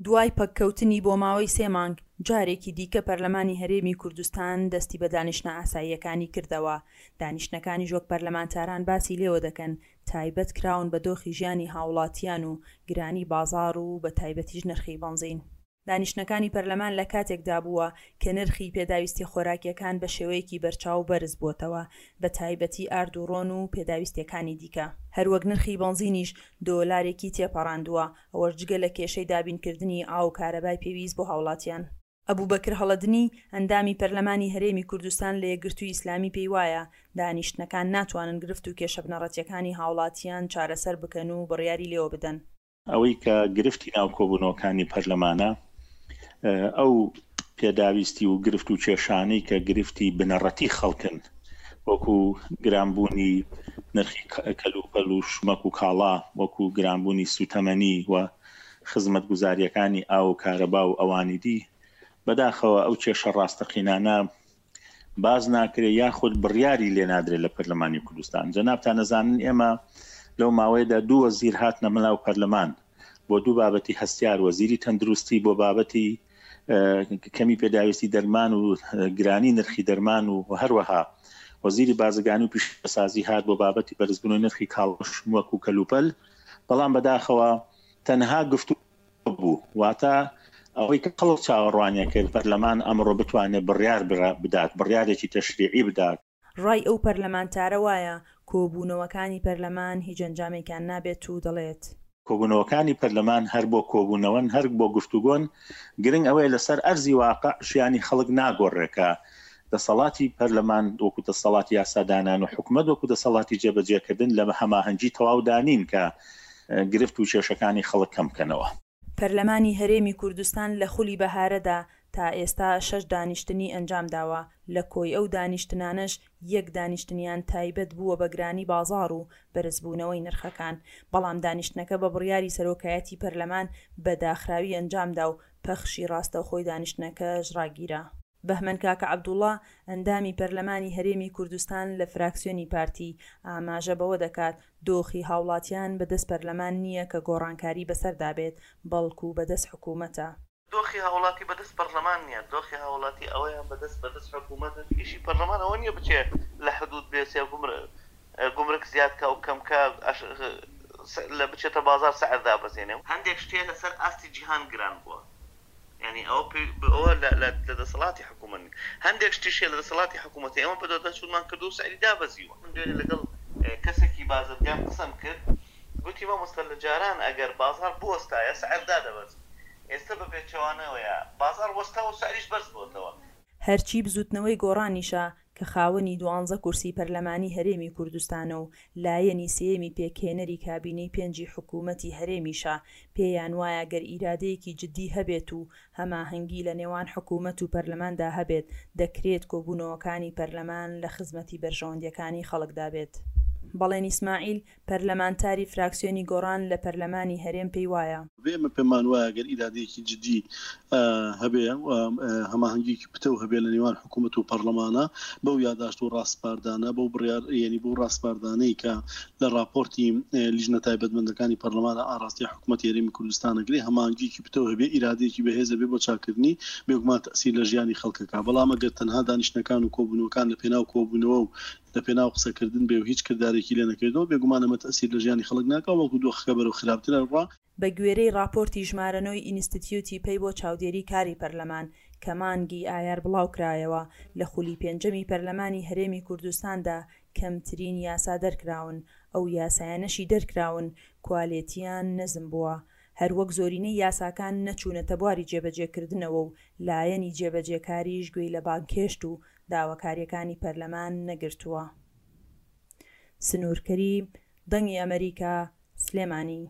دوای پەککەوتنی بۆ ماوەی سێ مانگ، جارێکی دیکە پەرلەمانی هەرێمی کوردستان دەستی بە دانیشتنە ئاساییەکانی کردەوە، دانیشتنەکانیش وەک پەرلەمانتاران باسی لێوە دەکەن، تایبەت کراون بە دۆخی ژیانی هاوڵاتیان و گرانی بازاڕ و بە تایبەتیش نرخی بەنزین. دانیشتنەکانی پەرلەمان لە کاتێکدا بووە کە نرخی پێداویستیە خۆراکیەکان بە شێوەیەکی بەرچاو بەرز بووەتەوە، بە تایبەتی ئارد و ڕۆن و پێداویستیەکانی دیکە. هەروەک نرخی بەنزینیش دۆلارێکی تێپەڕاندووە، ئەوەش جگە لە کێشەی دابینکردنی ئاو و کارەبای پێویست بۆ هاوڵاتیان. ئەبوبەکر هەڵەدنی، ئەندامی پەرلەمانی هەرێمی کوردستان لە یەکگرتووی ئیسلامی پێیوایە، دانیشتنەکان ناتوانن گرفت و کێشە بنەڕەتیەکانی هاوڵاتیان چارەسەر بکەن و بڕیاری لێوە بدەن. ئەوەی کە گرفتی ناو کۆبوونەوەکانی پەرلەمانە ئەو پێداویستی و گرفت و کێشانەی کە گرفتی بنەڕەتی خەڵکن وەکو گرانبوونی نرخی کەلوپەل و شمەک و کاڵا وەکو گرانبوونی سوتەمەنی و خزمەتگوزارییەکانی ئاو و کارەبا و ئەوانی دی بەداخەوە ئەو کێشە ڕاستەقینانە باس ناکرێ یاخود بڕیاری لێ نادرێت لە پەرلەمانی کوردستان. جەنابتان ئەزانن ئێمە لەو ماوەیەدا دوو وەزیر هاتنە ناو پەرلەمان بۆ دوو بابەتی هەستیار، وەزیری تەندروستی بۆ بابەتی کەمی پێداویستی دەرمان و گرانی نرخی دەرمان و هەروەها وەزیری بازرگانی و پیشەسازی هات بۆ بابەتی بەرزبوونەوەی نرخی کاڵا و شمەک و کەلوپەل، بەڵام بەداخەوە تەنها گفتوگۆ بوو، واتە ئەوەی کە خەڵک چاوەڕوانی کرد پەرلەمان ئەمڕۆ بتوانێت بڕیار بدات، بڕیارێکی تەشریعی بدات. ڕای ئەو پەرلەمانتارە وایە کۆبوونەوەکانی پەرلەمان هیچ ئەنجامێکیان نابێت و دەڵێت. کۆبوونەوەکانی پەرلەمان هەر بۆ کۆبوونەوەن، هەر بۆ گفتوگۆن، گرنگ ئەوەیە لەسەر ئەرزی واقع ژیانی خەڵک ناگۆڕێ کە دەسەڵاتی پەرلەمان وەکو دەسەڵاتی یاسادانان و حکومەت وەکو دەسەڵاتی جێبەجێکردن لە هەماهەنگی تەواودا نین کە گرفت و کێشەکانی خەڵک کەم بکەنەوە. پەرلەمانی هەرێمی کوردستان لە خولی بەهارەدا تا ئێستا شەش دانیشتنی ئەنجامداوە، لە کۆی ئەو دانیشتنانەش یەک دانیشتنیان تایبەت بووە بە گرانی بازاڕ و بەرزبوونەوەی نرخەکان، بەڵام دانیشتنەکە بە بڕیاری سەرۆکایەتی پەرلەمان بە داخراوی ئەنجامدا و پەخشی ڕاستەوخۆی دانیشتنەکەش ڕاگیرا. بەهمەن کاکە عەبدوڵا، ئەندامی پەرلەمانی هەرێمی کوردستان لە فراکسیۆنی پارتی، ئاماژە بەوە دەکات، دۆخی هاوڵاتیان بەدەست پەرلەمان نییە کە گۆڕانکاری بەسەردا بێت، بەڵکو بەدەست حکومەتە. دۆخی هاوڵاتی بەدەست پەرلەمان نییە، دۆخی هاوڵاتی ئەوەیان بەدەست بەدەست حکومەتە، ئیشی پەرلەمان ئەوە نییە بچێ لە حدود بێ گومرک زیاد کا و کەم کا، لە بچێتە بازاڕ سعر دابەزێنێ. هەندێک شتێ لەسەر ئاستی جیهان گران بووە، یانی ئەوە پێ ئەوە لە لە لە دەسەڵاتی حکوومەت نیە. هەندێک شتیش هەیە لە دەسەڵاتی حکوومەتە ئێمە بەدواداچوونمان کردووە و سعری دابەزیوە. من دوێنێ لەگەڵ کەسێکی بازرگان قسەم کرد گوتی مامۆستا لە جاران ئەگەر بازاڕ بوەستایە سعر دادەبەزی ئێستە بە پێچەوانەوەیە بازاڕ وەستاوە و سعریش بەرز بۆتەوە. هەرچی بزوتنەوەی گۆڕانیشە کە خاوەنی دوانزە کورسی پەرلەمانی هەرێمی کوردستانە و لایەنی سێیەمی پێکهێنەری کابینەی پێنجی حکوومەتی هەرێمیشە، پێیان وایە گەر ئیرادەیەکی جددی هەبێت و هەماهەنگی لە نێوان حکوومەت و پەرلەماندا هەبێت، دەکرێت کۆبوونەوەکانی پەرلەمان لە خزمەتی بەرژەوەندییەکانی خەڵکدا بێت. بەڵێن ئیسماعیل، پەرلەمانتاری فراکسیۆنی گۆڕان لە پەرلەمانی هەرێم پێی وایە. ئێمە پێمان وایە گەر ئیرادەیەکی جدی هەبێ و هەماهەنگیەکی پتەو هەبێ لە نێوان حکوومەت و پەرلەمانە بەو یاداشت و ڕاسپاردانە بەو بڕیار یعنی بەو ڕاسپاردانەی کە لە ڕاپۆرتی لیژنە تایبەتمەندەکانی پەرلەمانە ئاراستەی حکوومەتی هەرێمی کوردستان ئەکرێ هەماهەنگیەکی پتەو هەبێ ئیرادەیەکی بەهێز هەبێ بۆ چاککردنی بێگومان تەئسیر لە ژیانی خەڵکەکا بەڵام ئەگەر تەنها دانیشتنەکان و کۆبوونەوەکان لە پێناو کۆبوونەوە و لە پێناو قسەکردن بێ و هیچ کردارێکی لێ نەکەوێتەوە، بێگومان ئەمە تەئسیر لە ژیانی خەڵک ناکا و بەڵکو دۆخەکە بەرەو خراپتر ئەڕوا. بە گوێرەی ڕاپۆرتی ژمارە نۆی ئینستتیوتی پەی بۆ چاودێری کاری پەرلەمان کە مانگی ئایار بڵاوکرایەوە، لە خولی پێنجەمی پەرلەمانی هەرێمی کوردستاندا کەمترین یاسا دەرکراون، ئەو یاسایانەشی دەرکراون کوالێتییان نزم بووە، هەروەک زۆرینەی یاساکان نەچوونەتە بواری جێبەجێکردنەوە و لایەنی جێبەجێکاریش گوێی لە بانگهێشت و داواکارییەکانی پەرلەمان نەگرتووە. سنوور کەریم، دەنگی ئەمەریکا، سلێمانی.